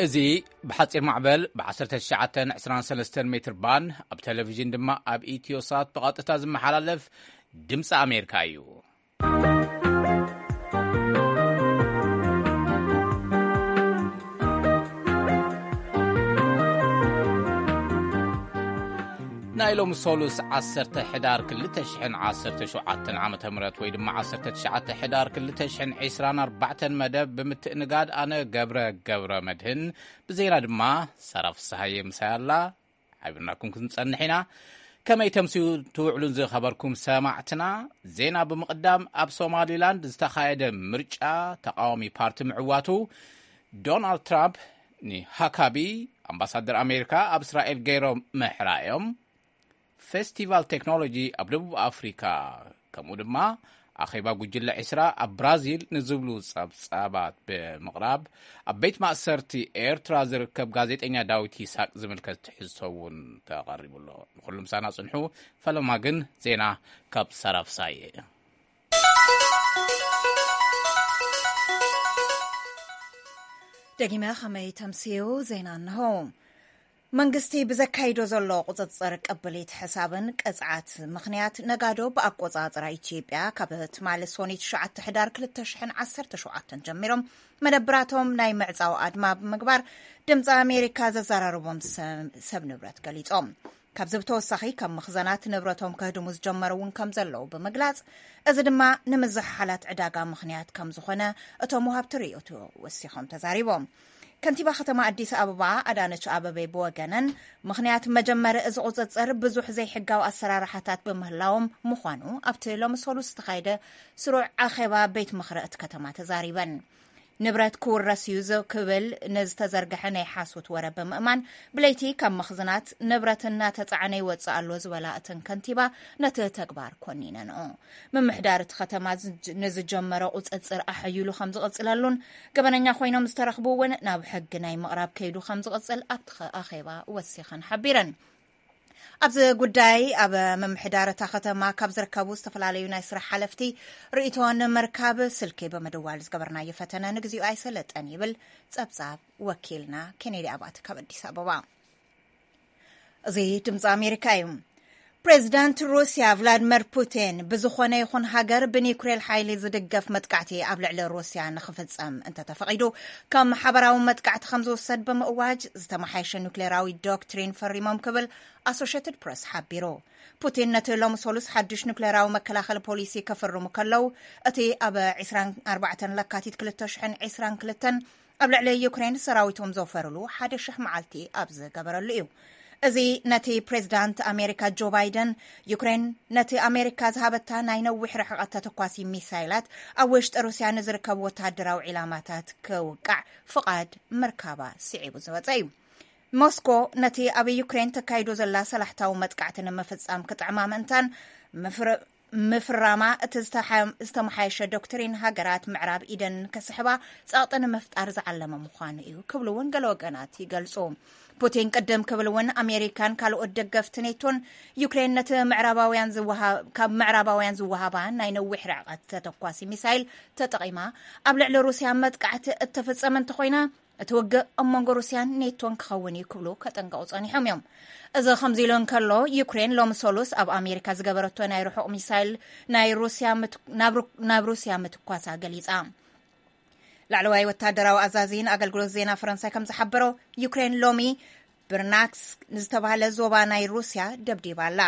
እዚ ብሓጺር ማዕበል ብ19 23 ሜትር ባንድ፣ ኣብ ቴሌቪዥን ድማ ኣብ ኢትዮሳት ብቐጥታ ዝመሓላለፍ ድምፂ ኣሜሪካ እዩ። ናይ ሎሚ ሰሉስ 10 ሕዳር 2017 ዓመተ ምህረት፣ ወይ ድማ 19 ሕዳር 2024 መደብ ብምትእንጋድ፣ ኣነ ገብረ ገብረ መድህን፣ ብዜና ድማ ሳራ ፍስሃየ ምሳይ ኣላ። ሓቢርናኩም ክንጸንሕ ኢና። ከመይ ተምስዩ ትውዕሉን ዝኸበርኩም ሰማዕትና? ዜና ብምቕዳም፣ ኣብ ሶማሊላንድ ዝተኻየደ ምርጫ ተቃዋሚ ፓርቲ ምዕዋቱ፣ ዶናልድ ትራምፕ ንሃካቢ ኣምባሳደር ኣሜሪካ ኣብ እስራኤል ገይሮም ምሕራዮም፣ ፌስቲቫል ቴክኖሎጂ ኣብ ደቡብ ኣፍሪካ፣ ከምኡ ድማ ኣኼባ ጉጅለ 20 ኣብ ብራዚል ንዝብሉ ጸብጻባት ብምቕራብ፣ ኣብ ቤት ማእሰርቲ ኤርትራ ዝርከብ ጋዜጠኛ ዳዊት ይስሐቅ ዝምልከት ትሕዝቶ እውን ተቐሪቡ ኣሎ። ንኹሉ ምሳና ጽንሑ። ፈለማ ግን ዜና ካብ ሳራ ፍሳየ። ደጊመ ከመይ ተምስዩ ዜና እንሆ። መንግስቲ ብዘካይዶ ዘሎ ቁጽጽር ቅብሊት ሕሳብን ቅጽዓት ምኽንያት፣ ነጋዶ ብኣቆጻጽራ ኢትዮጵያ ካብ ትማሊ ሶኒ 9 ሕዳር 2017 ጀሚሮም መደብራቶም ናይ ምዕጻው ኣድማ ብምግባር፣ ድምፂ ኣሜሪካ ዘዘራረቦም ሰ-፣ ሰብ ንብረት ገሊጾም። ካብዚ ብተወሳኺ፣ ካብ መኽዘናት ንብረቶም ከህድሙ ዝጀመሩ እውን ከም ዘለዉ ብምግላጽ፣ እዚ ድማ ንምዝሕሓላት ዕዳጋ ምኽንያት ከም ዝኾነ እቶም ወሃብቲ ርእይቶ ወሲኾም ተዛሪቦም። ከንቲባ ከተማ ኣዲስ ኣበባ ኣዳነች ኣበቤ ብወገነን፣ ምኽንያት መጀመሪ እዚ ቁጽጽር ብዙሕ ዘይሕጋዊ ኣሰራርሓታት ብምህላዎም ምዃኑ ኣብቲ ሎሚ ሰሉስ ዝተኻየደ ስሩዕ ኣኼባ ቤት ምኽሪ እቲ ከተማ ተዛሪበን። ንብረት ክውረስ እዩ ዝ-፣ ክብል ንዝተዘርግሐ ናይ ሓሶት ወረ ብምእማን፣ ብለይቲ ካብ መኽዝናት ንብረት እናተጻዕነ ይወጽእ ኣሎ ዝበላ እተን ከንቲባ፣ ነቲ ተግባር ኮኒነንኦ። ምምሕዳር እቲ ከተማ ዝጅ-፣ ንዝጀመረ ቁጽጽር ኣሐይሉ ከም ዝቕጽለሉን፣ ገበነኛ ኮይኖም ዝተረኽቡ እውን ናብ ሕጊ ናይ ምቕራብ ከይዱ ከም ዝቕጽል ኣብቲ ኸ-፣ ኣኼባ ወሲኸን ሓቢረን። ኣብዚ ጉዳይ ኣብ ምምሕዳር እታ ከተማ ካብ ዝርከቡ ዝተፈላለዩ ናይ ስራሕ ሓለፍቲ ርእይቶ ንምርካብ ስልኪ ብምድዋል ዝገበርናዮ ፈተነ ንግዚኡ ኣይሰለጠን ይብል ጸብጻብ ወኪልና ኬኔዲ ኣባተ ካብ ኣዲስ ኣበባ። እዚ ድምፂ ኣሜሪካ እዩ። ፕሬዚዳንት ሩስያ ቭላድሚር ፑቲን፣ ብዝኾነ ይኹን ሃገር ብኒኩሌር ሓይሊ ዝድገፍ መጥቃዕቲ ኣብ ልዕሊ ሩስያ ንኽፍጸም እንተተፈቒዱ፣ ከም ሓበራዊ መጥቃዕቲ ከም ዝውሰድ ብምእዋጅ፣ ዝተመሓየሸ ኒኩሌራዊ ዶክትሪን ፈሪሞም ክብል ኣሶሼትድ ፕረስ ሓቢሩ። ፑቲን ነቲ ሎሚ ሰሉስ ሓድሽ ኒኩሌራዊ መከላኸሊ ፖሊሲ ከፍርሙ ከለዉ፣ እቲ ኣብ 24 ለካቲት 2022 ኣብ ልዕሊ ዩክሬን ሰራዊቶም ዘውፈርሉ ሓደ ሽሕ መዓልቲ ኣብ ዝገበረሉ እዩ። እዚ ነቲ ፕሬዚዳንት ኣሜሪካ ጆ ባይደን፣ ዩክሬን ነቲ ኣሜሪካ ዝሃበታ ናይ ነዊሕ ርሕቀት ተተኳሲ ሚሳይላት ኣብ ውሽጢ ሩስያ ንዝርከቡ ወተሃደራዊ ዒላማታት ክውቃዕ ፍቓድ ምርካባ ስዒቡ ዝወጸ እዩ። ሞስኮ ነቲ ኣብ ዩክሬን ተካይዶ ዘላ ሰላሕታዊ መጥቃዕቲ ንምፍጻም ክጥዕማ ምእንታን ምፍር-፣ ምፍራማ፣ እቲ ዝተሓ-፣ ዝተመሓየሸ ዶክትሪን ሃገራት ምዕራብ ኢደን ከስሕባ ጸቕጢ ንምፍጣር ዝዓለመ ምዃኑ እዩ ክብሉ እውን ገለ ወገናት ይገልጹ። ፑቲን ቅድም ክብል እውን ኣሜሪካን ካልኦት ደገፍቲ ኔቶን ዩክሬን ነቲ ምዕራባውያን ዝወሃ-፣ ካብ ምዕራባውያን ዝወሃባ ናይ ነዊሕ ርሕቀት ተተኳሲ ሚሳይል ተጠቒማ ኣብ ልዕሊ ሩስያ መጥቃዕቲ እተፈጸመ እንተኾይና፣ እቲ ውግእ ኣብ መንጎ ሩስያን ኔቶን ክኸውን እዩ ክብሉ ከጠንቀቑ ጸኒሖም እዮም። እዚ ከምዚ ኢሉ እንከሎ፣ ዩክሬን ሎሚ ሰሉስ ኣብ ኣሜሪካ ዝገበረቶ ናይ ርሑቕ ሚሳይል ናይ ሩስያ ምት-፣ ናብ ሩ-፣ ናብ ሩስያ ምትኳሳ ገሊጻ። ላዕለዋይ ወታደራዊ ኣዛዚ ንኣገልግሎት ዜና ፈረንሳይ ከም ዝሓበሮ፣ ዩክሬን ሎሚ ብርናክስ ንዝተባህለ ዞባ ናይ ሩስያ ደብዲባ ኣላ።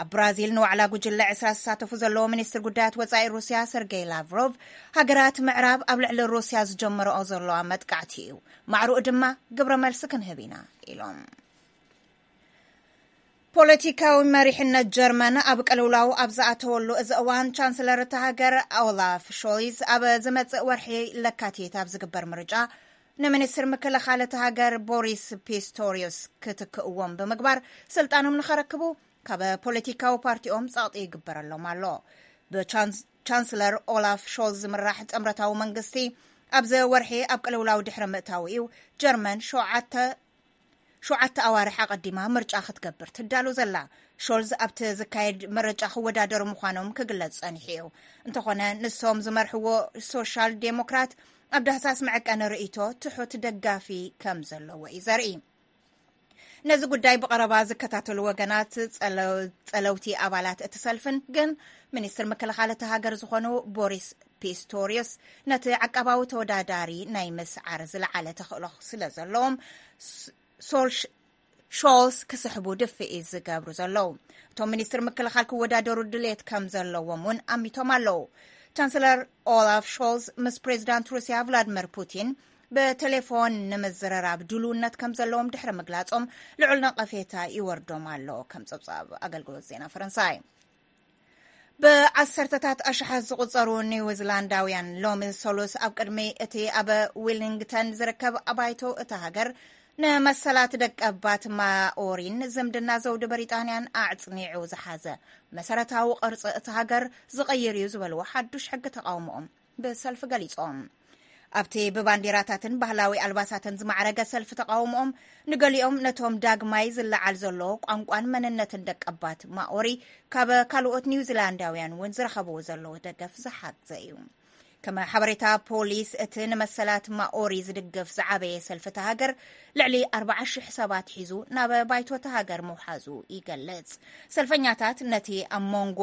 ኣብ ብራዚል ንዋዕላ ጉጅለ 20 ዝሳተፉ ዘለዉ ሚኒስትር ጉዳያት ወጻኢ ሩስያ ሰርጌይ ላቭሮቭ፣ ሃገራት ምዕራብ ኣብ ልዕሊ ሩስያ ዝጀመረኦ ዘለዋ መጥቃዕቲ እዩ፣ ማዕርኡ ድማ ግብረ መልሲ ክንህብ ኢና ኢሎም። ፖለቲካዊ መሪሕነት ጀርመን ኣብ ቅልውላው ኣብ ዝኣተወሉ እዚ እዋን፣ ቻንስለር እታ ሃገር ኦላፍ ሾልዝ ኣብ ዝመጽእ ወርሒ ለካቲት ኣብ ዝግበር ምርጫ ንሚኒስትር ምክልኻል እታ ሃገር ቦሪስ ፒስቶሪዮስ ክትክእዎም ብምግባር፣ ስልጣኖም ንኸረክቡ ካብ ፖለቲካዊ ፓርቲኦም ጸቕጢ ይግበረሎም ኣሎ። ብቻንስ-፣ ቻንስለር ኦላፍ ሾልዝ ዝምራሕ ጥምረታዊ መንግስቲ ኣብዚ ወርሒ ኣብ ቅልውላው ድሕሪ ምእታው እዩ ጀርመን ሸውዓተ ሸውዓተ ኣዋርሕ ኣቐዲማ ምርጫ ክትገብር ትዳሎ ዘላ። ሾልዝ ኣብቲ ዝካየድ ምርጫ ክወዳደሩ ምዃኖም ክግለጽ ጸኒሑ እዩ። እንተኾነ ንሶም ዝመርሕዎ ሶሻል ዴሞክራት ኣብ ዳህሳስ መዐቀኒ ርእይቶ ትሑት ደጋፊ ከም ዘለዎ እዩ ዘርኢ። ነዚ ጉዳይ ብቐረባ ዝከታተሉ ወገናት ጸለ- ጸለውቲ ኣባላት እቲ ሰልፍን ግን ሚኒስትር ምክልኻል እቲ ሃገር ዝኾኑ ቦሪስ ፒስቶሪዮስ ነቲ ዓቃባዊ ተወዳዳሪ ናይ ምስዓር ዝለዓለ ተኽእሎ ስለ ዘለዎም ሶልሽ ሾልስ ክስሕቡ ድፍኢት ዝገብሩ ዘለዉ። እቶም ሚኒስትር ምክልኻል ክወዳደሩ ድሌት ከም ዘለዎም እውን ኣሚቶም ኣለዉ። ቻንስለር ኦላፍ ሾልስ ምስ ፕሬዚዳንት ሩስያ ቭላድሚር ፑቲን ብቴሌፎን ንምዝርራብ ድልውነት ከም ዘለዎም ድሕሪ ምግላጾም ልዑል ነቐፌታ ይወርዶም ኣሎ። ከም ጸብጻብ ኣገልግሎት ዜና ፈረንሳይ። ብዓሰርተታት ኣሽሓት ዝቑጸሩ ኒውዚላንዳውያን ሎሚ ሰሉስ ኣብ ቅድሚ እቲ ኣብ ዊሊንግተን ዝርከብ ኣባይቶ እታ ሃገር ንመሰላት ደቀባት ማኦሪን ዝምድና ዘውዲ ብሪጣንያን ኣዕጽኒዑ ዝሓዘ መሰረታዊ ቅርጺ እታ ሃገር ዝቕይር እዩ ዝበልዎ ሓዱሽ ሕጊ ተቓውሞኦም ብሰልፊ ገሊጾም። ኣብቲ ብባንዲራታትን ባህላዊ ኣልባሳትን ዝማዕረገ ሰልፊ ተቓውሞኦም ንገሊኦም ነቶም ዳግማይ ዝለዓል ዘሎ ቋንቋን መንነትን ደቀባት ማኦሪ ካብ ካልኦት ኒውዚላንዳውያን እውን ዝረኸብዎ ዘለዉ ደገፍ ዝሓግዘ እዩ። ከም ሓበሬታ ፖሊስ እቲ ንመሰላት ማኦሪ ዝድግፍ ዝዓበየ ሰልፊ እታ ሃገር ልዕሊ ኣርባዓ ሽሕ ሰባት ሒዙ ናብ ባይቶ እታ ሃገር ምውሓዙ ይገልጽ። ሰልፈኛታት ነቲ ኣብ መንጎ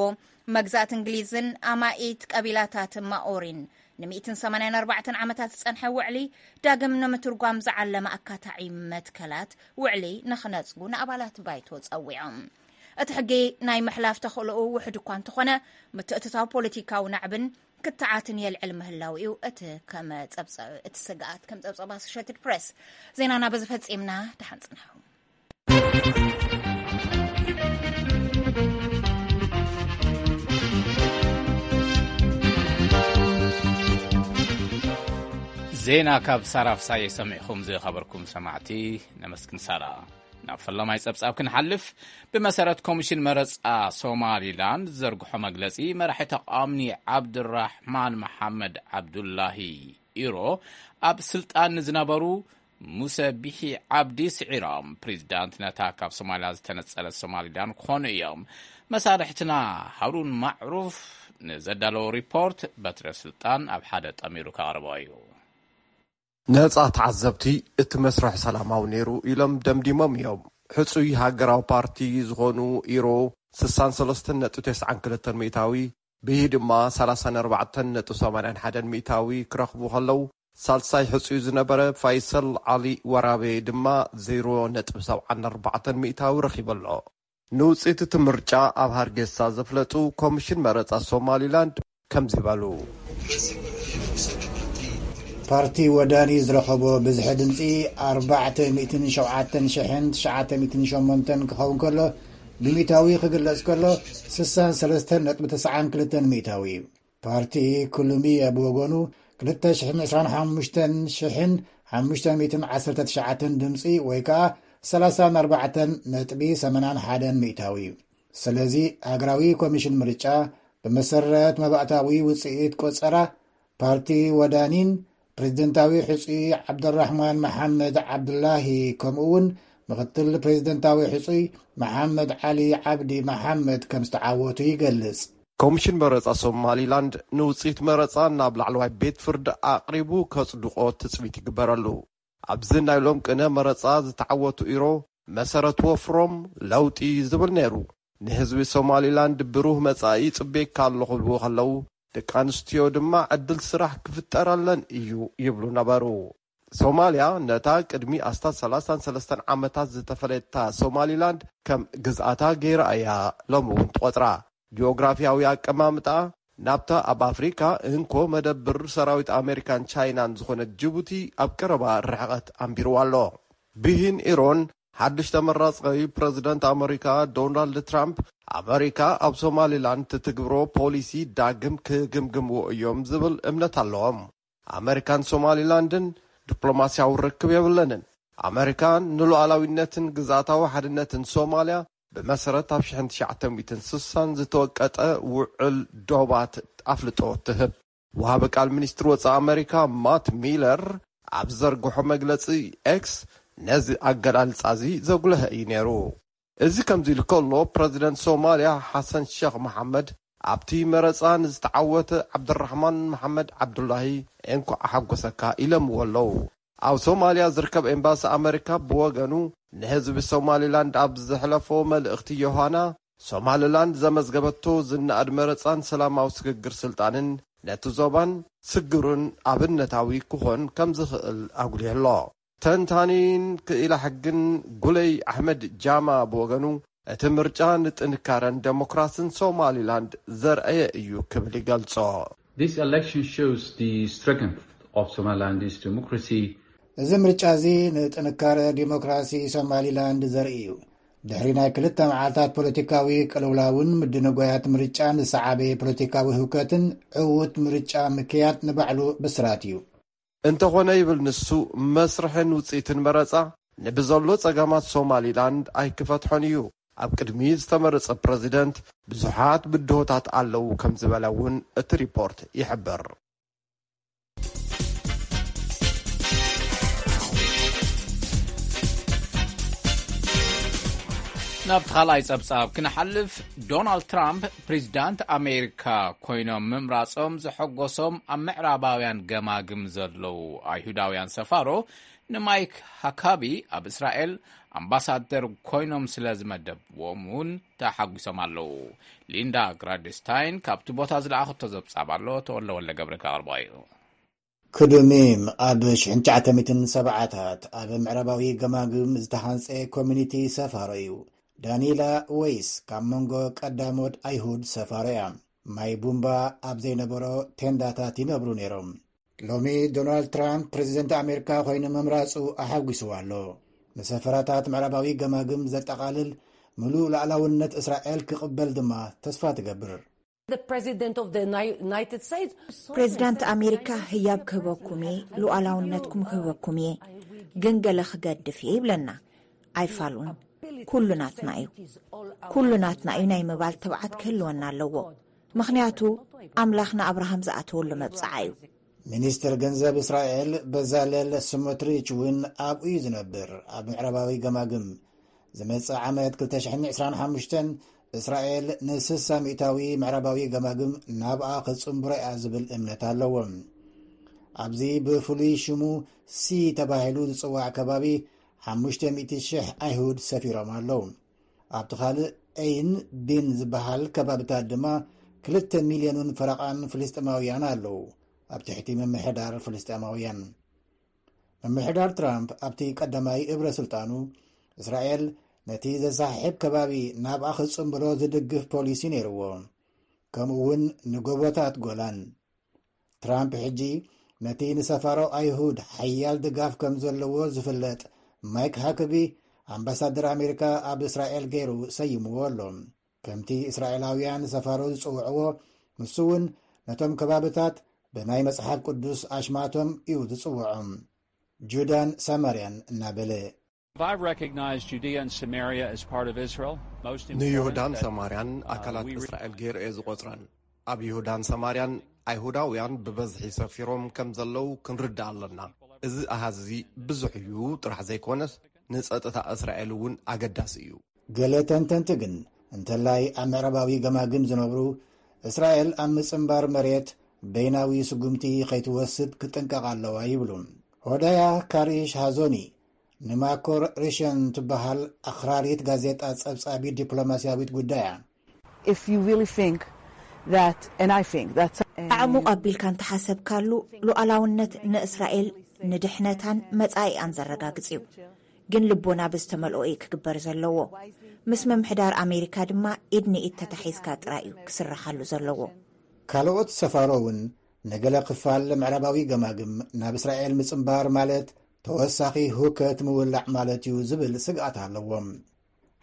መግዛእቲ እንግሊዝን ኣማኢት ቀቢላታት ማኦሪን ን184 ዓመታት ዝጸንሐ ውዕሊ ዳግም ንምትርጓም ዝዓለመ ኣካታዒ መትከላት ውዕሊ ንኽነጽጉ ንኣባላት ባይቶ ጸዊዖም። እቲ ሕጊ ናይ ምሕላፍ ተኽእሎኡ ውሑድ እኳ እንተኾነ፣ ምትእትታው ፖለቲካዊ ናዕብን ክትዓትን የልዕል ምህላው እዩ እቲ ከም ጸብጸ- እቲ ስግኣት። ከም ጸብጸብ ኣሶሼትድ ፕሬስ ዜናና በዚ ፈጺምና። ደሓን ጽንሑ። ዜና ካብ ሳራ ፍሳየ ሰሚዕኹም ዝኸበርኩም ሰማዕቲ ነመስግን ሳራ። ናብ ፈላማይ ጸብጻብ ክንሓልፍ፣ ብመሰረት ኮሚሽን መረጻ ሶማሊላንድ ዘርግሖ መግለጺ፣ መራሒ ተቃዋሚ ዓብዱራሕማን መሓመድ ዓብዱላሂ ኢሮ ኣብ ስልጣን ንዝነበሩ ሙሰ ቢሒ ዓብዲ ስዒሮም ፕሬዚዳንት ነታ ካብ ሶማሊያ ዝተነጸለት ሶማሊላንድ ክኾኑ እዮም። መሳርሕትና ሃሩን ማዕሩፍ ንዘዳለዎ ሪፖርት በትረ ስልጣን ኣብ ሓደ ጠሚሩ ከቕርቦ እዩ። ነጻ ተዓዘብቲ እቲ መስርሕ ሰላማዊ ነይሩ ኢሎም ደምዲሞም እዮም። ሕጹይ ሃገራዊ ፓርቲ ዝኾኑ ኢሮ ስሳን ሰለስተን ነጥቢ ተስዓን ክልተን ሚእታዊ፣ ብሂ ድማ ሰላሳን ኣርባዕተን ነጥቢ ሰማንያን ሓደን ሚእታዊ ክረኽቡ ከለዉ፣ ሳልሳይ ሕጹይ ዝነበረ ፋይሰል ዓሊ ወራቤ ድማ ዜሮ ነጥቢ ሰብዓን ኣርባዕተን ሚእታዊ ረኺቡ ኣሎ። ንውጽኢት እቲ ምርጫ ኣብ ሃርጌሳ ዘፍለጡ ኮሚሽን መረጻ ሶማሊላንድ ከምዚ በሉ። ፓርቲ ወዳኒ ዝረኸቦ ብዝሒ ድምፂ ኣርባዕተ ሚእትን ሸውዓተን ሽሕን ትሽዓተ ሚእትን ሸሞንተን ክኸውን ከሎ፣ ብሚእታዊ ክግለጽ ከሎ፣ ስሳን ሰለስተን ነጥቢ ተስዓን ክልተን ሚእታዊ እዩ። ፓርቲ ኩሉሚየ ብወገኑ፣ ክልተ ሽሕን ዕስራን ሓሙሽተን ሽሕን ሓሙሽተ ሚእትን ዓሰርተ ትሽዓተን ድምፂ ወይ ከዓ ሰላሳን ኣርባዕተን ነጥቢ ሰማንያን ሓደን ሚእታዊ እዩ። ስለዚ ሃገራዊ ኮሚሽን ምርጫ ብመሰረት መባእታዊ ውፅኢት ቆፀራ ፓርቲ ወዳኒን ፕሬዝደንታዊ ሕፁይ ዓብደራሕማን መሓመድ ዓብዱላሂ ከምኡ እውን ምክትል ፕሬዝደንታዊ ሕፁይ መሓመድ ዓሊ ዓብዲ መሓመድ ከም ዝተዓወቱ ይገልፅ። ኮሚሽን መረፃ ሶማሊላንድ ንውፅኢት መረፃ ናብ ላዕለዋይ ቤት ፍርዲ ኣቕሪቡ ከፅድቆ ትፅቢት ይግበረሉ። ኣብዚ ናይ ሎም ቅነ መረፃ ዝተዓወቱ ኢሮ መሰረት ወፍሮም ለውጢ ዝብል ነይሩ። ንህዝቢ ሶማሊላንድ ብሩህ መጻኢ ጽቤካ ኣለኹ ክብሉ ከለዉ፣ ደቂ ኣንስትዮ ድማ ዕድል ስራሕ ክፍጠረለን እዩ ይብሉ ነበሩ። ሶማልያ ነታ ቅድሚ ኣስታት ሰላሳን ሰለስተን ዓመታት ዝተፈለየታ ሶማሊላንድ ከም ግዝኣታ ገይራ እያ ሎሚ እውን ትቖጽራ። ጂኦግራፊያዊ ኣቀማምጣ ናብታ ኣብ ኣፍሪካ እንኮ መደብር ሰራዊት ኣሜሪካን ቻይናን ዝኾነት ጅቡቲ ኣብ ቀረባ ርሕቐት ኣንቢርዋ ኣሎ። ብሂን ኢሮን ሓድሽ ተመራጻዊ ፕረዚደንት ኣመሪካ ዶናልድ ትራምፕ፣ ኣመሪካ ኣብ ሶማሊላንድ ትትግብሮ ፖሊሲ ዳግም ክግምግምዎ እዮም ዝብል እምነት ኣለዎም። ኣመሪካን ሶማሊላንድን ዲፕሎማስያዊ ርክብ የብለንን። ኣመሪካ ንሉዓላዊነትን ግዝኣታዊ ሓድነትን ሶማልያ ብመሰረት ኣብ ሽሕን ትሽዓተ ሚእትን ስሳን ዝተወቀጠ ውዕል ዶባት ኣፍልጦ ትህብ። ወሃቢ ቃል ሚኒስትሪ ወጻኢ ኣመሪካ ማት ሚለር ኣብ ዘርግሖ መግለጺ ኤክስ፣ ነዚ ኣገላልጻ እዚ ዘጉለሀ እዩ ነይሩ። እዚ ከምዚ ኢሉ ከሎ፣ ፕረዚደንት ሶማልያ ሓሰን ሸኽ መሓመድ ኣብቲ መረጻ ንዝተዓወተ ዓብደራሕማን መሓመድ ዓብዱላሂ እንኳዕ ሓጎሰካ ኢለምዎ ኣለዉ። ኣብ ሶማልያ ዝርከብ ኤምባሲ ኣመሪካ ብወገኑ፣ ንህዝቢ ሶማሊላንድ ኣብ ዘሕለፎ መልእኽቲ፣ ዮሃና፣ ሶማሊላንድ ዘመዝገበቶ ዝነኣድ መረጻን ሰላማዊ ስግግር ስልጣንን ነቲ ዞባን ስግሩን ኣብነታዊ ክኾን ከም ዝኽእል ኣጉሊሑ ኣሎ። ተንታኒን ክኢላ ሕግን ጉለይ ኣሕመድ ጃማ ብወገኑ፣ እቲ ምርጫ ንጥንካረን ዴሞክራስን ሶማሊላንድ ዘርኣየ እዩ ክብል ይገልጾ። This election shows the strength of Somaliland's democracy. እዚ ምርጫ እዚ ንጥንካረ ዲሞክራሲ ሶማሊላንድ ዘርኢ እዩ። ድሕሪ ናይ ክልተ መዓልታት ፖለቲካዊ ቅልውላውን ምድንጓያት ምርጫን ዝሰዓበ ፖለቲካዊ ህውከትን፣ ዕዉት ምርጫ ምክያድ ንባዕሉ ብስራት እዩ። እንተኾነ፣ ይብል ንሱ፣ መስርሕን ውጽኢትን መረጻ ንብዘሎ ጸገማት ሶማሊላንድ ኣይክፈትሖን እዩ። ኣብ ቅድሚ ዝተመረጸ ፕረዚደንት ብዙሓት ብድሆታት ኣለዉ ከም ዝበለ እውን እቲ ሪፖርት ይሕብር። ናብቲ ካልኣይ ጸብጻብ ክንሓልፍ፣ ዶናልድ ትራምፕ ፕሬዚዳንት ኣሜሪካ ኮይኖም ምምራጾም ዘሐጎሶም ኣብ ምዕራባውያን ገማግም ዘለዉ ኣይሁዳውያን ሰፋሮ ንማይክ ሃካቢ ኣብ እስራኤል ኣምባሳደር ኮይኖም ስለ ዝመደብዎም እውን ተሓጒሶም ኣለዉ። ሊንዳ ግራድስታይን ካብቲ ቦታ ዝለኣኸቶ ዘብጻብ ኣሎ፣ ተወለ ወለ ገብረ ከቕርቦ እዩ። ክዱሚም ኣብ ሽሕን ትሽዓተ ሚእትን ሰብዓታት ኣብ ምዕራባዊ ገማግም ዝተሃንጸ ኮሚኒቲ ሰፋሮ እዩ። ዳኒላ ወይስ ካብ መንጎ ቀዳሞት ኣይሁድ ሰፋሮ እያ። ማይ ቡምባ ኣብ ዘይነበሮ ቴንዳታት ይነብሩ ነይሮም። ሎሚ ዶናልድ ትራምፕ ፕሬዚደንት ኣሜሪካ ኮይኑ ምምራጹ ኣሓጒስዋ ኣሎ። ንሰፈራታት ምዕራባዊ ገማግም ዘጠቓልል ምሉእ ላዕላውነት እስራኤል ክቕበል ድማ ተስፋ ትገብር። ፕሬዚዳንት ኣሜሪካ ህያብ ክህበኩም እየ፣ ሉዓላውነትኩም ክህበኩም እየ፣ ግን ገለ ክገድፍ እየ ይብለና። ኣይፋሉን። ኩሉ ናትና እዩ። ኩሉ ናትና እዩ ናይ ምባል ትብዓት ክህልወና ኣለዎ። ምኽንያቱ ኣምላኽ ንኣብርሃም ዝኣተወሉ መብጽዓ እዩ። ሚኒስትር ገንዘብ እስራኤል በዛለል ስሞትሪች እውን ኣብኡ እዩ ዝነብር። ኣብ ምዕራባዊ ገማግም ዝመጽእ ዓመት ክልተ ሽሕን ዕስራን ሓሙሽተን እስራኤል ንስሳ ሚእታዊ ምዕራባዊ ገማግም ናብኣ ክጽንብሮ እያ ዝብል እምነት ኣለዎም። ኣብዚ ብፍሉይ ሽሙ ሲ ተባሂሉ ዝጽዋዕ ከባቢ ሓሙሽተ ሚእቲ ሽሕ ኣይሁድ ሰፊሮም ኣለዉ። ኣብቲ ካልእ ኤይን ቢን ዝበሃል ከባብታት ድማ ክልተ ሚልዮንን ፈረቓን ፍልስጤማውያን ኣለዉ፣ ኣብ ትሕቲ ምምሕዳር ፍልስጤማውያን። ምምሕዳር ትራምፕ ኣብቲ ቀዳማይ እብረ ስልጣኑ፣ እስራኤል ነቲ ዘሳሕብ ከባቢ ናብኣ ክጽንብሮ ዝድግፍ ፖሊሲ ነይርዎ፣ ከምኡ እውን ንጎቦታት ጎላን። ትራምፕ ሕጂ ነቲ ንሰፋሮ ኣይሁድ ሓያል ድጋፍ ከም ዘለዎ ዝፍለጥ ማይክ ሃክቢ ኣምባሳደር ኣሜሪካ ኣብ እስራኤል ገይሩ ሰይምዎ ኣሎ። ከምቲ እስራኤላውያን ሰፋሮ ዝጽውዕዎ፣ ንሱ እውን ነቶም ከባብታት ብናይ መጽሓፍ ቅዱስ ኣሽማቶም እዩ ዝጽውዖም፣ ጁዳን ሳማርያን እናበለ። I've recognized Judea and Samaria as part of Israel. ንይሁዳን ሰማርያን ኣካላት እስራኤል ገይሩ እየ ዝቖጽረን። ኣብ ይሁዳን ሰማርያን ኣይሁዳውያን ብበዝሒ ሰፊሮም ከም ዘለዉ ክንርዳእ ኣለና። እዚ ኣሃዝ እዚ ብዙሕ እዩ ጥራሕ ዘይኮነስ፣ ንጸጥታ እስራኤል እውን ኣገዳሲ እዩ። ገለ ተንተንቲ ግን፣ እንተላይ ኣብ ምዕራባዊ ገማግም ዝነብሩ፣ እስራኤል ኣብ ምጽንባር መሬት በይናዊ ስጉምቲ ከይትወስድ ክትጥንቀቕ ኣለዋ ይብሉ። ሆዳያ ካሪሽ ሃዞኒ ንማኮር ሪሸን ትበሃል ኣኽራሪት ጋዜጣ ጸብጻቢት ዲፕሎማስያዊት ጉዳያ። If you really think that, and I think that, ኣዕሙቕ ኣቢልካ እንተሓሰብካሉ፣ ሉዓላውነት ንእስራኤል ንድሕነታን መጻኢኣን ዘረጋግጽ እዩ። ግን ልቦና ብዝተመልኦ እዩ ክግበር ዘለዎ። ምስ ምምሕዳር ኣሜሪካ ድማ ኢድ ንኢድ ተታሒዝካ ጥራይ እዩ ክስረሓሉ ዘለዎ። ካልኦት ሰፋሮ እውን፣ ንገለ ክፋል ምዕራባዊ ገማግም ናብ እስራኤል ምጽንባር ማለት ተወሳኺ ሁከት ምውላዕ ማለት እዩ ዝብል ስግኣት ኣለዎም።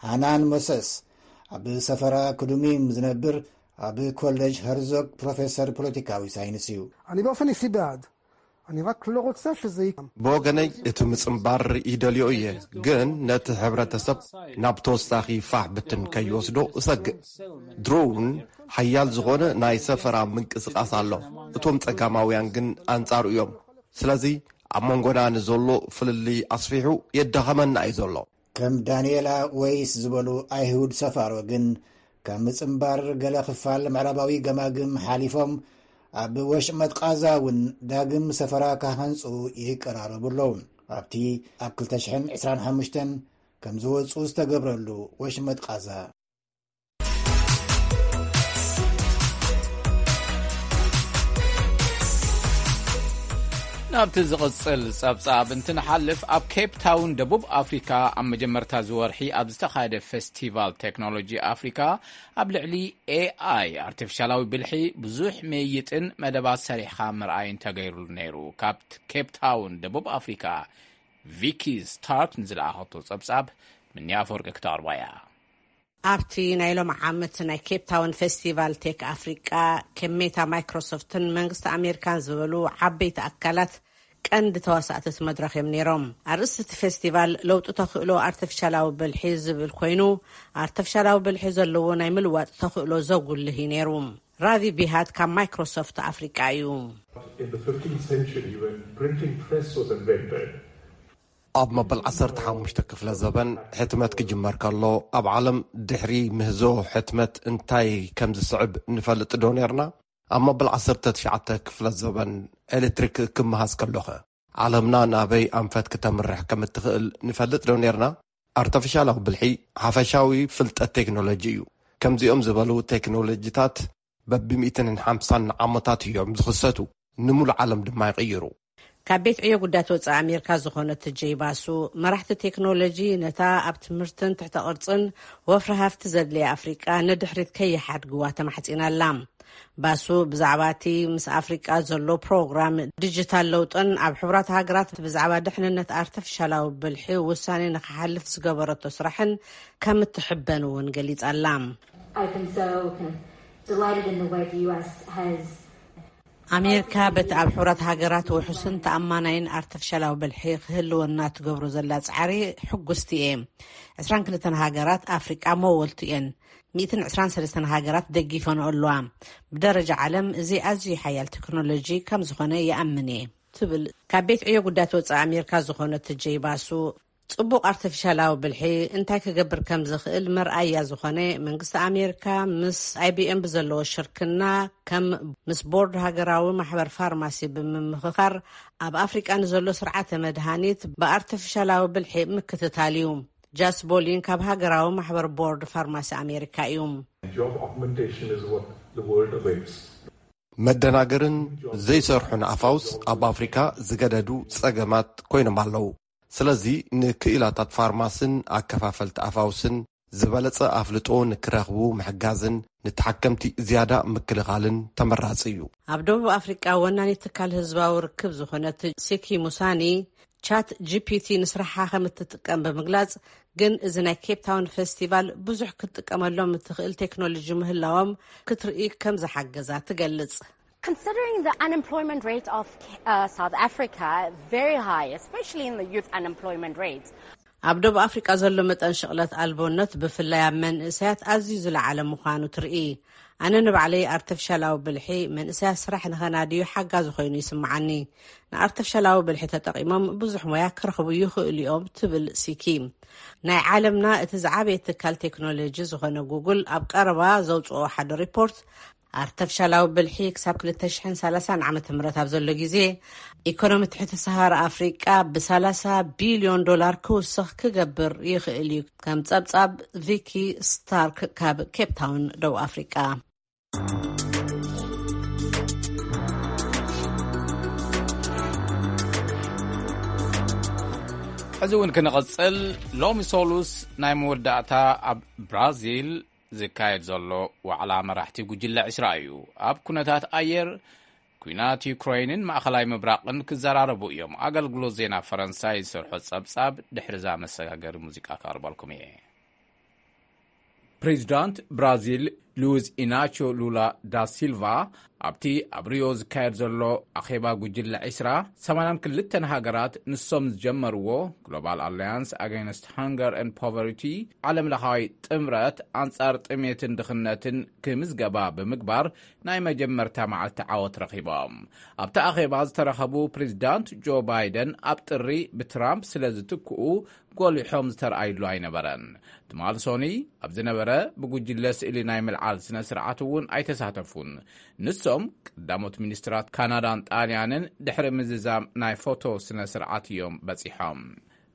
ሃናን ሞሰስ ኣብ ሰፈራ ክዱሚም ዝነብር፣ ኣብ ኮሌጅ ሀርዞግ ፕሮፌሰር ፖለቲካዊ ሳይንስ እዩ። אני באופן אישי בעד. אני רק לא רוצה שזה יקרה. ብወገነይ እቲ ምጽንባር ይደልዮ እየ፣ ግን ነቲ ሕብረተሰብ ናብ ተወሳኺ ፋሕ ብትን ከይወስዶ እሰግእ። ድሮ እውን ሓያል ዝኾነ ናይ ሰፈራ ምንቅስቓስ ኣሎ። እቶም ጸጋማውያን ግን ኣንጻሩ እዮም። ስለዚ ኣብ መንጎና ንዘሎ ፍልልይ ኣስፊሑ የዳኸመና እዩ ዘሎ። ከም ዳንኤላ ወይስ ዝበሉ ኣይሁድ ሰፋሮ ግን፣ ካብ ምጽንባር ገለ ክፋል ምዕራባዊ ገማግም ሓሊፎም ኣብ ወሽመጥ ቃዛ እውን ዳግም ሰፈራ ክሃንጹ ይቀራረቡ ኣለዉ። ኣብቲ ኣብ ክልተ ሽሕን ዕስራን ሓሙሽተን ከም ዝወጹ ዝተገብረሉ ወሽመጥ ቃዛ። ናብቲ ዝቕጽል ጸብጻብ እንትንሓልፍ፣ ኣብ ኬፕ ታውን ደቡብ ኣፍሪካ ኣብ መጀመርታ ዝወርሒ ኣብ ዝተኻየደ ፌስቲቫል ቴክኖሎጂ ኣፍሪካ ኣብ ልዕሊ ኤኣይ ኣርቲፊሻላዊ ብልሒ ብዙሕ ምይይጥን መደባት ሰሪሕኻ ምርኣይን ተገይሩሉ ነይሩ። ካብ ኬፕ ታውን ደቡብ ኣፍሪካ ቪኪ ስታርክ ንዝለኣኸቶ ጸብጻብ ምንያ ኣፈወርቂ ክተቕርባ እያ። ኣብቲ ናይ ሎም ዓመት ናይ ኬፕ ታውን ፌስቲቫል ቴክ ኣፍሪቃ፣ ከም ሜታ፣ ማይክሮሶፍትን መንግስቲ ኣሜሪካን ዝበሉ ዓበይቲ ኣካላት ቀንዲ ተዋሳእቲ እቲ መድረኽ እዮም ነይሮም። ኣርእስቲ እቲ ፌስቲቫል ለውጢ ተኽእሎ ኣርቲፊሻላዊ ብልሒ ዝብል ኮይኑ፣ ኣርቲፊሻላዊ ብልሒ ዘለዎ ናይ ምልዋጥ ተኽእሎ ዘጉልህ እዩ ነይሩ። ራቪ ቢሃት ካብ ማይክሮሶፍት ኣፍሪቃ እዩ። In the fifteenth century, when printing press was invented, ኣብ መበል ዓሰርተ ሓሙሽተ ክፍለ ዘበን ሕትመት ክጅመር ከሎ፣ ኣብ ዓለም ድሕሪ ምህዞ ሕትመት እንታይ ከም ዝስዕብ ንፈልጥ ዶ ኔርና? ኣብ መበል ዓሰርተ ትሽዓተ ክፍለ ዘበን ኤሌክትሪክ ክመሃዝ ከሎኸ፣ ዓለምና ናበይ ኣንፈት ክተምርሕ ከም እትኽእል ንፈልጥ ዶ ኔርና? ኣርተፊሻላዊ ብልሒ ሓፈሻዊ ፍልጠት ቴክኖሎጂ እዩ። ከምዚኦም ዝበሉ ቴክኖሎጂታት በብሚእትን ሓምሳን ዓመታት እዮም ዝኽሰቱ፣ ንሙሉእ ዓለም ድማ ይቕይሩ። ካብ ቤት ዕዮ ጉዳያት ወጻኢ ኣሜሪካ ዝኾነት ጄይ ባሱ፣ መራሕቲ ቴክኖሎጂ ነታ ኣብ ትምህርትን ትሕተ ቅርጽን ወፍሪ ሃፍቲ ዘድልያ ኣፍሪቃ ንድሕሪት ከይሓድግዋ ተማሕጺና ኣላ። ባሱ ብዛዕባ እቲ ምስ ኣፍሪቃ ዘሎ ፕሮግራም ዲጂታል ለውጥን ኣብ ሕቡራት ሃገራት ብዛዕባ ድሕንነት ኣርቲፊሻላዊ ብልሒ ውሳኔ ንክሓልፍ ዝገበረቶ ስራሕን ከም እትሕበን እውን ገሊጻ ኣላ። I've been so kind of delighted in the way the U S has ኣሜሪካ በቲ ኣብ ሕቡራት ሃገራት ውሑስን ተኣማናይን ኣርቲፊሻላዊ ብልሒ ክህልወና ትገብሮ ዘላ ጻዕሪ ሕጉስቲ እየ። ዕስራን ክልተን ሃገራት ኣፍሪቃ መወልቱ እየን። ሚእትን ዕስራን ሰለስተን ሃገራት ደጊፈንኦ ኣለዋ። ብደረጃ ዓለም እዚ ኣዝዩ ሓያል ቴክኖሎጂ ከም ዝኾነ ይኣምን እየ ትብል ካብ ቤት ዕዮ ጉዳያት ወጻኢ ኣሜሪካ ዝኾነት ጄይ ባሱ። ጽቡቕ ኣርቲፊሻላዊ ብልሒ እንታይ ክገብር ከም ዝኽእል መርኣያ ዝኾነ፣ መንግስቲ ኣሜሪካ ምስ ኣይ ቢ ኤም ብዘለዎ ሽርክና ከም ምስ ቦርድ ሃገራዊ ማሕበር ፋርማሲ ብምምኽኻር ኣብ ኣፍሪቃ ንዘሎ ስርዓተ መድሃኒት ብኣርቲፊሻላዊ ብልሒ ምክትታል እዩ። ጃስ ቦሊን ካብ ሃገራዊ ማሕበር ቦርድ ፋርማሲ ኣሜሪካ እዩ። Job augmentation is what the world awaits. መደናገርን ዘይሰርሑን ኣፋውስ ኣብ ኣፍሪካ ዝገደዱ ጸገማት ኮይኖም ኣለዉ። ስለዚ ንክኢላታት ፋርማስን ኣከፋፈልቲ ኣፋውስን ዝበለጸ ኣፍልጦ ንክረኽቡ ምሕጋዝን ንተሓከምቲ ዝያዳ ምክልኻልን ተመራጺ እዩ። ኣብ ደቡብ ኣፍሪቃ ወናኒት ትካል ህዝባዊ ርክብ ዝኾነት ሲኪ ሙሳኒ፣ ቻት ጂ ፒ ቲ ንስራሓ ከም እትጥቀም ብምግላጽ፣ ግን እዚ ናይ ኬፕ ታውን ፌስቲቫል ብዙሕ ክትጥቀመሎም እትኽእል ቴክኖሎጂ ምህላዎም ክትርኢ ከም ዝሓገዛ ትገልጽ። Considering the unemployment rate of uh, South Africa, very high, especially in the youth unemployment rate. ኣብ ደቡብ ኣፍሪቃ ዘሎ መጠን ሽቕለት ኣልቦነት ብፍላይ ኣብ መንእሰያት ኣዝዩ ዝለዓለ ምዃኑ ትርኢ። ኣነ ንባዕለይ ኣርተፍሻላዊ ብልሒ መንእሰያት ስራሕ ንኸናድዩ ሓጋዚ ኮይኑ ይስምዓኒ። ንኣርተፍሻላዊ ብልሒ ተጠቒሞም ብዙሕ ሞያ ክረኽቡ ይኽእሉ እዮም ትብል ሲኪ። ናይ ዓለምና እቲ ዝዓበየ ትካል ቴክኖሎጂ ዝኾነ ጉግል ኣብ ቀረባ ዘውፅኦ ሓደ ሪፖርት ኣርተፍሻላዊ ብልሒ ክሳብ ክልተ ሽሕን ሰላሳን ዓመተ ምህረት ኣብ ዘሎ ግዜ ኢኮኖሚ ትሕቲ ሰሃራ ኣፍሪቃ ብሰላሳ ቢልዮን ዶላር ክውስኽ ክገብር ይኽእል እዩ። ከም ጸብጻብ ቪኪ ስታርክ ካብ ኬፕ ታውን ደቡብ ኣፍሪቃ። ሕዚ እውን ክንቕጽል፣ ሎሚ ሶሉስ ናይ መወዳእታ ኣብ ብራዚል ዝካየድ ዘሎ ዋዕላ መራሕቲ ጉጅለ ዕስራ እዩ። ኣብ ኩነታት ኣየር፣ ኲናት ዩክረይንን ማእኸላይ ምብራቕን ክዘራረቡ እዮም። ኣገልግሎት ዜና ፈረንሳይ ዝሰርሖ ጸብጻብ ድሕሪ እዛ መሰጋገሪ ሙዚቃ ከቕርበልኩም እየ። ፕሬዚዳንት ብራዚል ሉዝ ኢናቾ ሉላ ዳ ሲልቫ ኣብቲ ኣብ ሪዮ ዝካየድ ዘሎ ኣኼባ ጉጅለ ዒስራ፣ ሰማንያን ክልተን ሃገራት ንሶም ዝጀመርዎ ግሎባል ኣላያንስ ኣጋይንስት ሃንገር ን ፖቨርቲ፣ ዓለም ለኻዊ ጥምረት ኣንጻር ጥሜትን ድኽነትን ክምዝገባ ብምግባር ናይ መጀመርታ መዓልቲ ዓወት ረኺቦም። ኣብቲ ኣኼባ ዝተረኸቡ ፕሬዚዳንት ጆ ባይደን ኣብ ጥሪ ብትራምፕ ስለ ዝትክኡ ጎሊሖም ዝተረኣይሉ ኣይነበረን። ትማል ሶኒ ኣብ ዝነበረ ብጉጅለ ስእሊ ናይ ምልዓል ስነ ስርዓት እውን ኣይተሳተፉን። ንሶም ቀዳሞት ሚኒስትራት ካናዳን ጣልያንን ድሕሪ ምዝዛም ናይ ፎቶ ስነ ስርዓት እዮም በጺሖም።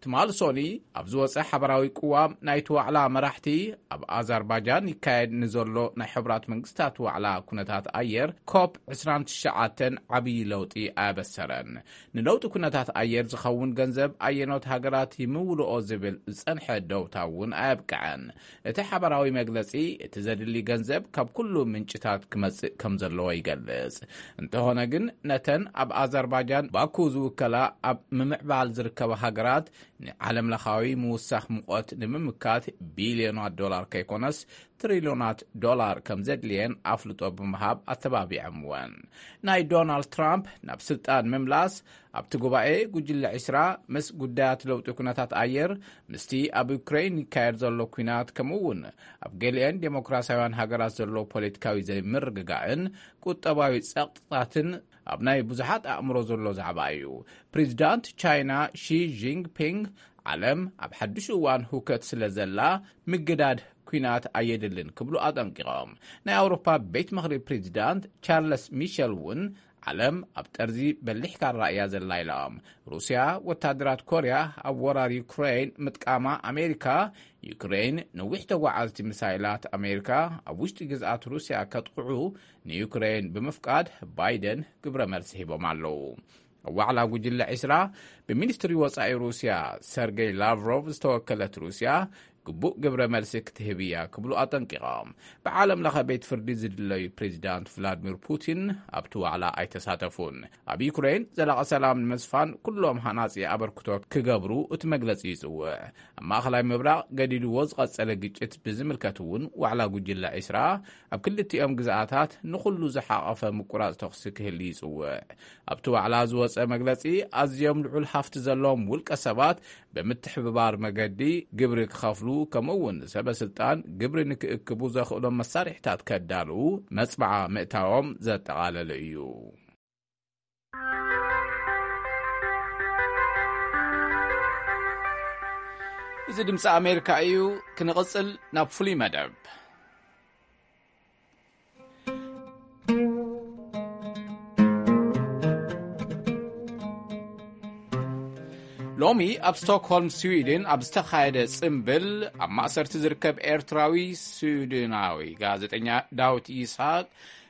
ትማል ሶኒ ኣብ ዝወጸ ሓበራዊ ቅዋም ናይቲ ዋዕላ መራሕቲ፣ ኣብ ኣዘርባጃን ይካየድ ንዘሎ ናይ ሕቡራት መንግስታት ዋዕላ ኩነታት ኣየር ኮፕ ዕስራን ትሽዓተን ዓብዪ ለውጢ ኣያበሰረን። ንለውጢ ኩነታት ኣየር ዝኸውን ገንዘብ ኣየኖት ሃገራት ይምውልኦ ዝብል ዝጸንሐ ደውታ እውን ኣየብቅዐን። እቲ ሓበራዊ መግለጺ፣ እቲ ዘድሊ ገንዘብ ካብ ኩሉ ምንጭታት ክመጽእ ከም ዘለዎ ይገልጽ። እንተኾነ ግን፣ ነተን ኣብ ኣዘርባጃን ባኩ ዝውከላ ኣብ ምምዕባል ዝርከባ ሃገራት ንዓለም ለኻዊ ምውሳኽ ሙቐት ንምምካት ቢልዮናት ዶላር ከይኮነስ ትሪልዮናት ዶላር ከም ዘድልየን ኣፍልጦ ብምሃብ ኣተባቢዖምወን። ናይ ዶናልድ ትራምፕ ናብ ስልጣን ምምላስ ኣብቲ ጉባኤ ጉጅለ ዒስራ ምስ ጉዳያት ለውጢ ኩነታት ኣየር፣ ምስቲ ኣብ ዩክሬን ይካየድ ዘሎ ኲናት፣ ከምኡ እውን ኣብ ገሊአን ዴሞክራሲያውያን ሃገራት ዘሎ ፖለቲካዊ ዘይምርግጋእን ቁጠባዊ ጸቕጥታትን ኣብ ናይ ብዙሓት ኣእምሮ ዘሎ ዛዕባ እዩ። ፕሬዚዳንት ቻይና ሺ ጂንፒንግ፣ ዓለም ኣብ ሓድሽ እዋን ሁከት ስለ ዘላ፣ ምግዳድ ኲናት ኣየድልን ክብሉ ኣጠንቂቖም። ናይ ኣውሮፓ ቤት ምኽሪ ፕሬዚዳንት ቻርለስ ሚሸል እውን፣ ዓለም ኣብ ጠርዚ በሊሕ ካራ እያ ዘላ ኢሎም። ሩስያ ወታደራት ኮርያ ኣብ ወራር ዩክሬን ምጥቃማ፣ ኣሜሪካ፣ ዩክሬን ነዊሕ ተጓዓዝቲ ሚሳይላት ኣሜሪካ ኣብ ውሽጢ ግዝኣት ሩስያ ከጥቕዑ ንዩክሬን ብምፍቃድ፣ ባይደን ግብረ መልሲ ሂቦም ኣለዉ። ኣብ ዋዕላ ጉጅለ ዒስራ፣ ብሚኒስትሪ ወጻኢ ሩስያ ሰርጌይ ላቭሮቭ ዝተወከለት ሩስያ ግቡእ ግብረ መልሲ ክትህብ እያ ክብሉ ኣጠንቂቖም። ብዓለም ለኸ ቤት ፍርዲ ዝድለዩ ፕሬዚዳንት ቭላድሚር ፑቲን ኣብቲ ዋዕላ ኣይተሳተፉን። ኣብ ዩክሬን ዘላቒ ሰላም ንምስፋን ኩሎም ሃናጺ ኣበርክቶ ክገብሩ እቲ መግለጺ ይጽውዕ። ኣብ ማእኸላይ ምብራቕ ገዲድዎ ዝቐጸለ ግጭት ብዝምልከት እውን ዋዕላ ጉጅለ ዒስራ ኣብ ክልቲኦም ግዝኣታት ንኹሉ ዝሓቐፈ ምቁራጽ ተኹሲ ክህሊ ይጽውዕ። ኣብቲ ዋዕላ ዝወጸ መግለጺ፣ ኣዝዮም ልዑል ሃፍቲ ዘለዎም ውልቀ ሰባት ብምትሕብባር መገዲ ግብሪ ክኸፍሉ፣ ከምኡ እውን ሰበ ስልጣን ግብሪ ንክእክቡ ዘኽእሎም መሳርሒታት ከዳልዉ መጽብዓ ምእታዎም ዘጠቓለለ እዩ። እዚ ድምፂ ኣሜሪካ እዩ። ክንቕፅል ናብ ፍሉይ መደብ። ሎሚ ኣብ ስቶክሆልም ስዊድን ኣብ ዝተኻየደ ጽምብል፣ ኣብ ማእሰርቲ ዝርከብ ኤርትራዊ ስዊድናዊ ጋዜጠኛ ዳዊት ይስሐቅ፣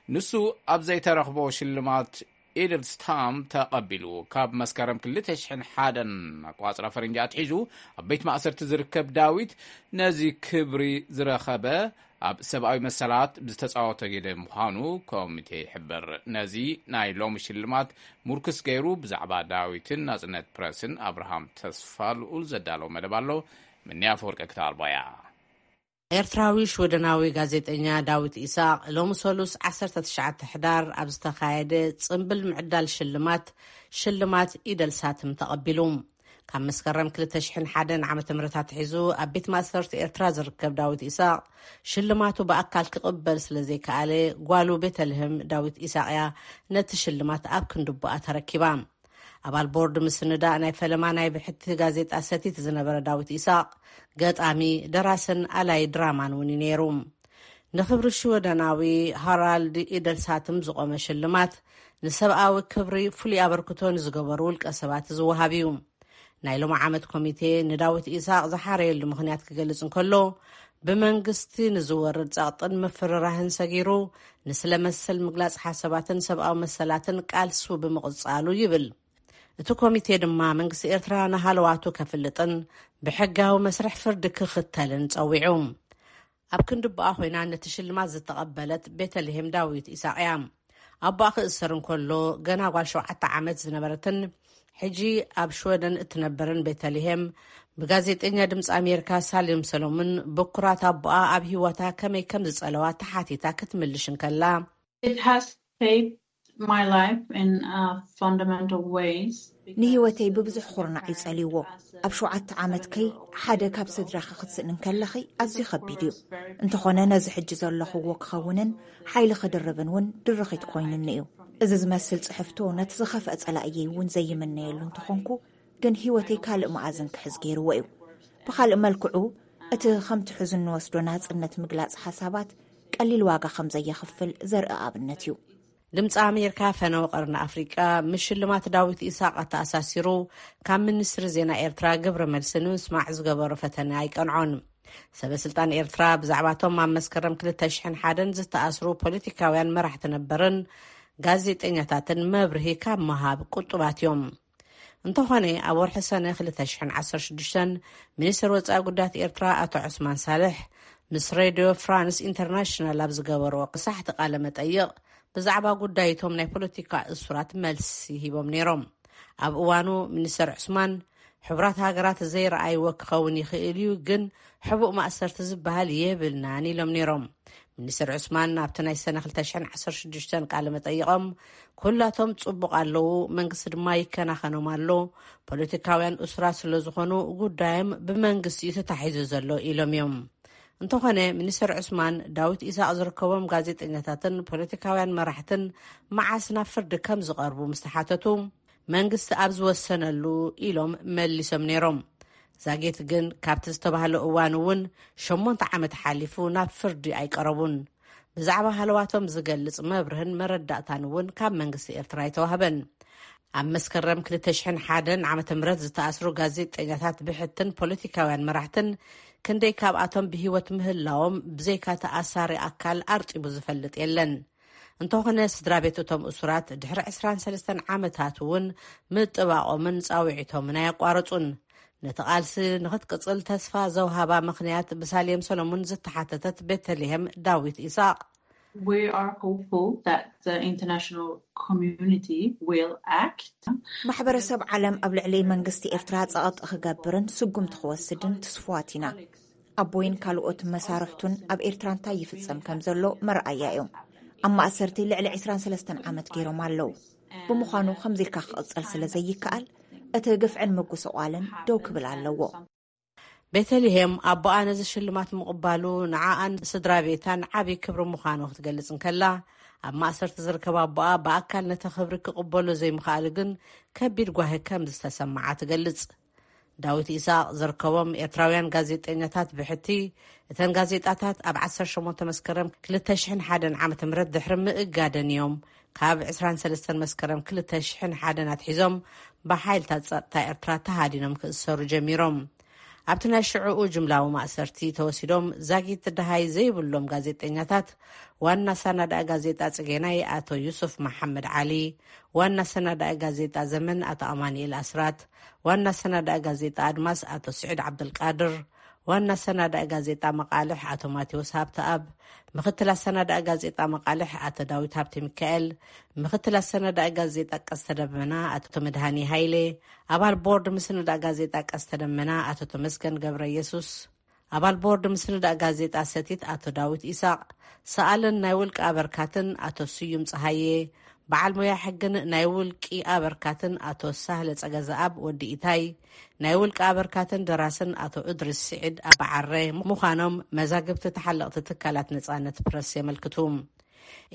ንሱ ኣብ ዘይተረኽቦ ሽልማት ኢድልስታም ተቐቢሉ። ካብ መስከረም ክልተ ሽሕን ሓደን ኣቋጽራ ፈረንጂ ኣትሒዙ ኣብ ቤት ማእሰርቲ ዝርከብ ዳዊት፣ ነዚ ክብሪ ዝረኸበ ኣብ ሰብኣዊ መሰላት ብዝተጻወተ ግደ ምዃኑ ኮሚቴ ይሕብር። ነዚ ናይ ሎሚ ሽልማት ሙርክስ ገይሩ፣ ብዛዕባ ዳዊትን ናጽነት ፕረስን ኣብርሃም ተስፋ ልኡል ዘዳለዎ መደብ ኣሎ። ምንያ ኣፈወርቂ ክተቕርቦ እያ። ኤርትራዊ ሽወደናዊ ጋዜጠኛ ዳዊት ኢሳቕ፣ ሎሚ ሰሉስ ዓሰርተ ትሽዓተ ሕዳር ኣብ ዝተኻየደ ጽምብል ምዕዳል ሽልማት፣ ሽልማት ኢደልሳትም ተቐቢሉ። ካብ መስከረም ክልተ ሽሕን ሓደን ዓመተ ምህረት ኣትሒዙ ኣብ ቤት ማእሰርቲ ኤርትራ ዝርከብ ዳዊት ኢሳቕ፣ ሽልማቱ ብኣካል ክቕበል ስለ ዘይከኣለ፣ ጓሉ ቤተልሔም ዳዊት ኢሳቕ እያ ነቲ ሽልማት ኣብ ክንድቦኣ ተረኪባ። ኣባል ቦርድ ምስንዳእ ናይ ፈለማ ናይ ብሕቲ ጋዜጣ ሰቲት ዝነበረ ዳዊት ኢሳቕ፣ ገጣሚ፣ ደራስን ኣላይ ድራማን እውን እዩ ነይሩ። ንኽብሪ ሽወደናዊ ሃራልድ ኢደልሳትም ዝቖመ ሽልማት፣ ንሰብኣዊ ክብሪ ፍሉይ ኣበርክቶ ንዝገበሩ ውልቀ ሰባት ዝወሃብ እዩ። ናይ ሎሚ ዓመት ኮሚቴ ንዳዊት ኢሳቕ ዝሓረየሉ ምኽንያት ክገልጽ እንከሎ፣ ብመንግስቲ ንዝወርድ ጸቕጥን ምፍርራህን ሰጊሩ፣ ንስለ መሰል ምግላጽ ሓሳባትን ሰብኣዊ መሰላትን ቃልሱ ብምቕጻሉ ይብል። እቲ ኮሚቴ ድማ መንግስቲ ኤርትራ ንሃለዋቱ ከፍልጥን ብሕጋዊ መስርሕ ፍርዲ ክኽተልን ጸዊዑ። ኣብ ክንዲ ኣቦኣ ኮይና ነቲ ሽልማት ዝተቐበለት ቤተልሔም ዳዊት ኢሳቕ እያ። ኣቦኣ ክእሰር እንከሎ ገና ጓል ሸውዓተ ዓመት ዝነበረትን ሕጂ ኣብ ሽወደን እትነብርን ቤተልሔም፣ ብጋዜጠኛ ድምፂ ኣሜሪካ ሳሌም ሰሎሞን፣ ብኩራት ኣቦኣ ኣብ ህይወታ ከመይ ከም ዝጸለዋ ተሓቲታ ክትምልሽ እንከላ፣ It has shaped my life in uh, fundamental ways. ንህይወተይ ብብዙሕ ኩርናዕ እዩ ጸልይዎ። ኣብ ሸውዓተ ዓመትከይ ሓደ ካብ ስድራኺ ክትስእኒ እንከለኺ ኣዝዩ ከቢድ እዩ። እንተኾነ ነዚ ሕጂ ዘለኹዎ ክኸውንን ሓይሊ ክድርብን እውን ድርኺት ኮይኑኒ እዩ። እዚ ዝመስል ጽሕፍቶ ነቲ ዝኸፍአ ጸላእየይ እውን ዘይምነየሉ እንተኾንኩ፣ ግን ህይወተይ ካልእ መኣዝን ክሕዝ ገይርዎ እዩ። ብኻልእ መልክዑ፣ እቲ ከምቲ ሕዚ እንወስዶ ናጽነት ምግላጽ ሓሳባት ቀሊል ዋጋ ከም ዘየኽፍል ዘርኢ ኣብነት እዩ። ድምፂ ኣሜሪካ ፈነወ ቀርኒ ኣፍሪቃ ምስ ሽልማት ዳዊት ኢሳቅ ኣተኣሳሲሩ ካብ ሚኒስትሪ ዜና ኤርትራ ግብረ መልሲ ንምስማዕ ዝገበሮ ፈተነ ኣይቀንዖን። ሰበ ስልጣን ኤርትራ ብዛዕባቶም ኣብ መስከረም ክልተ ሽሕን ሓደን ዝተኣስሩ ፖለቲካውያን መራሕቲ ነበርን ጋዜጠኛታትን መብርሂ ካብ ምሃብ ቁጡባት እዮም። እንተኾነ ኣብ ወርሒ ሰነ ክልተ ሽሕን ዓሰርተ ሽዱሽተን ሚኒስትር ወፃኢ ጉዳያት ኤርትራ ኣቶ ዑስማን ሳልሕ ምስ ሬድዮ ፍራንስ ኢንተርናሽናል ኣብ ዝገበርዎ ክሳሕቲ ቃለ መጠይቕ ብዛዕባ ጉዳይቶም ናይ ፖለቲካ እሱራት መልሲ ሂቦም ነይሮም። ኣብ እዋኑ ሚኒስተር ዑስማን፣ ሕቡራት ሃገራት ዘይረኣይዎ ክኸውን ይኽእል እዩ፣ ግን ሕቡእ ማእሰርቲ ዝበሃል የብልናን ኢሎም ነይሮም። ሚኒስተር ዑስማን ኣብቲ ናይ ሰነ ክልተ ሽሕን ዓሰርተ ሽዱሽተን ቃለ መጠይቖም፣ ኩላቶም ጽቡቕ ኣለዉ፣ መንግስቲ ድማ ይከናኸኖም ኣሎ፣ ፖለቲካውያን እሱራት ስለ ዝኾኑ ጉዳዮም ብመንግስቲ እዩ ተታሒዙ ዘሎ ኢሎም እዮም። እንተኾነ ሚኒስተር ዑስማን፣ ዳዊት ኢሳቕ ዝርከቦም ጋዜጠኛታትን ፖለቲካውያን መራሕትን መዓስ ናብ ፍርዲ ከም ዝቐርቡ ምስ ተሓተቱ፣ መንግስቲ ኣብ ዝወሰነሉ ኢሎም መሊሶም ነይሮም። ዛጌት ግን ካብቲ ዝተባህለ እዋን እውን ሸሞንተ ዓመት ሓሊፉ ናብ ፍርዲ ኣይቀረቡን። ብዛዕባ ሃለዋቶም ዝገልጽ መብርህን መረዳእታን እውን ካብ መንግስቲ ኤርትራ ኣይተዋህበን። ኣብ መስከረም ክልተ ሽሕን ሓደን ዓመተ ምህረት ዝተኣስሩ ጋዜጠኛታት ብሕትን ፖለቲካውያን መራሕትን ክንደይ ካብኣቶም ብህይወት ምህላዎም ብዘይካ ተኣሳሪ ኣካል ኣርጢቡ ዝፈልጥ የለን። እንተኾነ ስድራ ቤት እቶም እሱራት ድሕሪ ዕስራን ሰለስተን ዓመታት እውን ምጥባቖምን ጻውዒቶምን ኣየቋረጹን። ነቲ ቃልሲ ንኽትቅጽል ተስፋ ዘውሃባ ምኽንያት ብሳሌም ሰሎሙን ዝተሓተተት ቤተልሔም ዳዊት ኢሳቕ፣ We are hopeful that the international community will act. ማሕበረሰብ ዓለም ኣብ ልዕሊ መንግስቲ ኤርትራ ጸቕጢ ክገብርን ስጉምቲ ክወስድን ትስፉዋት ኢና። ኣቦይን ካልኦት መሳርሕቱን ኣብ ኤርትራ እንታይ ይፍጸም ከም ዘሎ መርኣያ እዮም። ኣብ ማእሰርቲ ልዕሊ ዕስራን ሰለስተን ዓመት ገይሮም ኣለዉ። ብምዃኑ ከምዚ ኢልካ ክቕጸል ስለ ዘይከኣል፣ እቲ ግፍዕን ምጉስቋልን ደው ክብል ኣለዎ። ቤተልሔም ኣቦኣ ነዚ ሽልማት ምቕባሉ ንዓኣን ስድራ ቤታን ዓብዪ ክብሪ ምዃኑ ክትገልጽ እንከላ፣ ኣብ ማእሰርቲ ዝርከብ ኣቦኣ ብኣካል ነቲ ክብሪ ክቕበሎ ዘይምኽኣሉ ግን ከቢድ ጓሂ ከም ዝተሰምዓ ትገልጽ። ዳዊት ኢሳቕ ዝርከቦም ኤርትራውያን ጋዜጠኛታት ብሕቲ፣ እተን ጋዜጣታት ኣብ ዓሰርተ ሸሞንተ መስከረም ክልተ ሽሕን ሓደን ዓመተ ምህረት ድሕሪ ምእጋደን እዮም ካብ ዕስራን ሰለስተን መስከረም ክልተ ሽሕን ሓደን ኣትሒዞም ብሓይልታት ጸጥታ ኤርትራ ተሃዲኖም ክእሰሩ ጀሚሮም። ኣብቲ ናይ ሽዕኡ ጅምላዊ ማእሰርቲ ተወሲዶም ዛጊት ደሃይ ዘይብሎም ጋዜጠኛታት ዋና ሰናዳኢ ጋዜጣ ጽጌናይ ኣቶ ዩሱፍ መሓመድ ዓሊ፣ ዋና ሰናዳኢ ጋዜጣ ዘመን ኣቶ ኣማኑኤል ኣስራት፣ ዋና ሰናዳኢ ጋዜጣ ኣድማስ ኣቶ ስዒድ ዓብደልቃድር፣ ዋና ሰናዳኢ ጋዜጣ መቃልሕ ኣቶ ማቴዎስ ሃብተኣብ፣ ምክትል ኣሰናዳኢ ጋዜጣ መቃልሕ ኣቶ ዳዊት ሃብተ ሚካኤል፣ ምክትል ኣሰናዳኢ ጋዜጣ ቀስተ ደመና ኣቶ መድሃኒ ሃይሌ፣ ኣባል ቦርድ ምስንዳእ ጋዜጣ ቀስተ ደመና ኣቶ ተመስገን ገብረ ኢየሱስ፣ ኣባል ቦርድ ምስንዳእ ጋዜጣ ሰቲት ኣቶ ዳዊት ኢሳቕ፣ ሰኣልን ናይ ውልቂ ኣበርካትን ኣቶ ስዩም ጸሃየ፣ በዓል ሞያ ሕግን ናይ ውልቂ ኣበርካትን ኣቶ ሳህለ ጸገዘኣብ ወዲ ኢታይ፣ ናይ ውልቂ ኣበርካትን ደራስን ኣቶ እድሪስ ስዒድ ኣበዓረ ምዃኖም መዛግብቲ ተሓለቕቲ ትካላት ነጻነት ፕረስ የመልክቱ።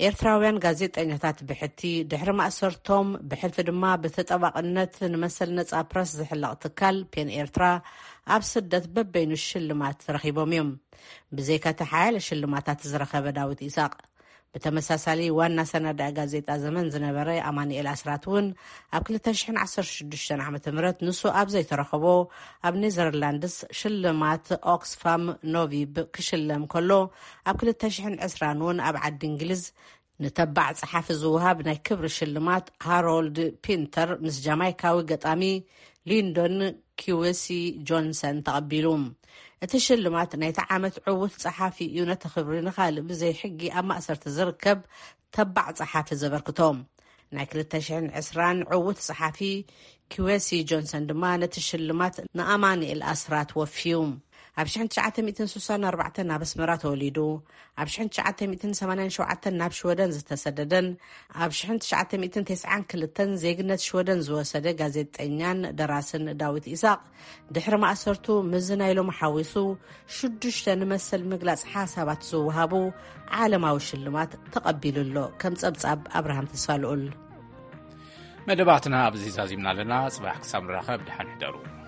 ኤርትራውያን ጋዜጠኛታት ብሕቲ ድሕሪ ማእሰርቶም ብሕልፊ ድማ ብተጠባቕነት ንመሰል ነጻ ፕረስ ዝሕለቕ ትካል ፔን ኤርትራ ኣብ ስደት በበይኑ ሽልማት ረኺቦም እዮም። ብዘይካ እቲ ሓያለ ሽልማታት ዝረኸበ ዳዊት ኢሳቕ፣ ብተመሳሳሊ ዋና ሰናዳኢ ጋዜጣ ዘመን ዝነበረ ኣማኑኤል ኣስራት እውን ኣብ ክልተ ሽሕን ዓሰርተ ሽዱሽተን ዓመተ ምህረት ንሱ ኣብ ዘይተረኸቦ ኣብ ኔዘርላንድስ ሽልማት ኦክስፋም ኖቪብ ክሽለም ከሎ፣ ኣብ ክልተ ሽሕን ዕስራን እውን ኣብ ዓዲ እንግሊዝ ንተባዕ ጸሓፊ ዝወሃብ ናይ ክብሪ ሽልማት ሃሮልድ ፒንተር ምስ ጃማይካዊ ገጣሚ ሊንዶን ኪወሲ ጆንሰን ተቐቢሉ። እቲ ሽልማት ናይቲ ዓመት ዕዉት ጸሓፊ እዩ፣ ነቲ ክብሪ ንኻልእ ብዘይ ሕጊ ኣብ ማእሰርቲ ዝርከብ ተባዕ ጸሓፊ ዘበርክቶ። ናይ ክልተ ሽሕን ዕስራን ዕዉት ጸሓፊ ኪወሲ ጆንሰን ድማ ነቲ ሽልማት ንኣማኑኤል ኣስራት ወፍዩ። ኣብ ሽሕን ትሽዓተ ሚእትን ስሳን ኣርባዕተን ኣብ ኣስመራ ተወሊዱ። ኣብ ሽሕን ትሽዓተ ሚእትን ሰማንያን ሸውዓተን ናብ ሽወደን ዝተሰደደን ኣብ ሽሕን ትሽዓተ ሚእትን ተስዓን ክልተን ዜግነት ሽወደን ዝወሰደ ጋዜጠኛን ደራስን ዳዊት ኢሳቕ፣ ድሕሪ ማእሰርቱ፣ ምዚ ናይ ሎሚ ሓዊሱ ሽዱሽተ ንመሰል ምግላጽ ሓሳባት ዝወሃቡ ዓለማዊ ሽልማት ተቐቢሉ ኣሎ። ከም ጸብጻብ ኣብርሃም ተስፋልኡል። መደባትና ኣብዚ ዛዚምና ኣለና። ጽባሕ ክሳብ ንራኸብ፣ ደሓን ሕደሩ።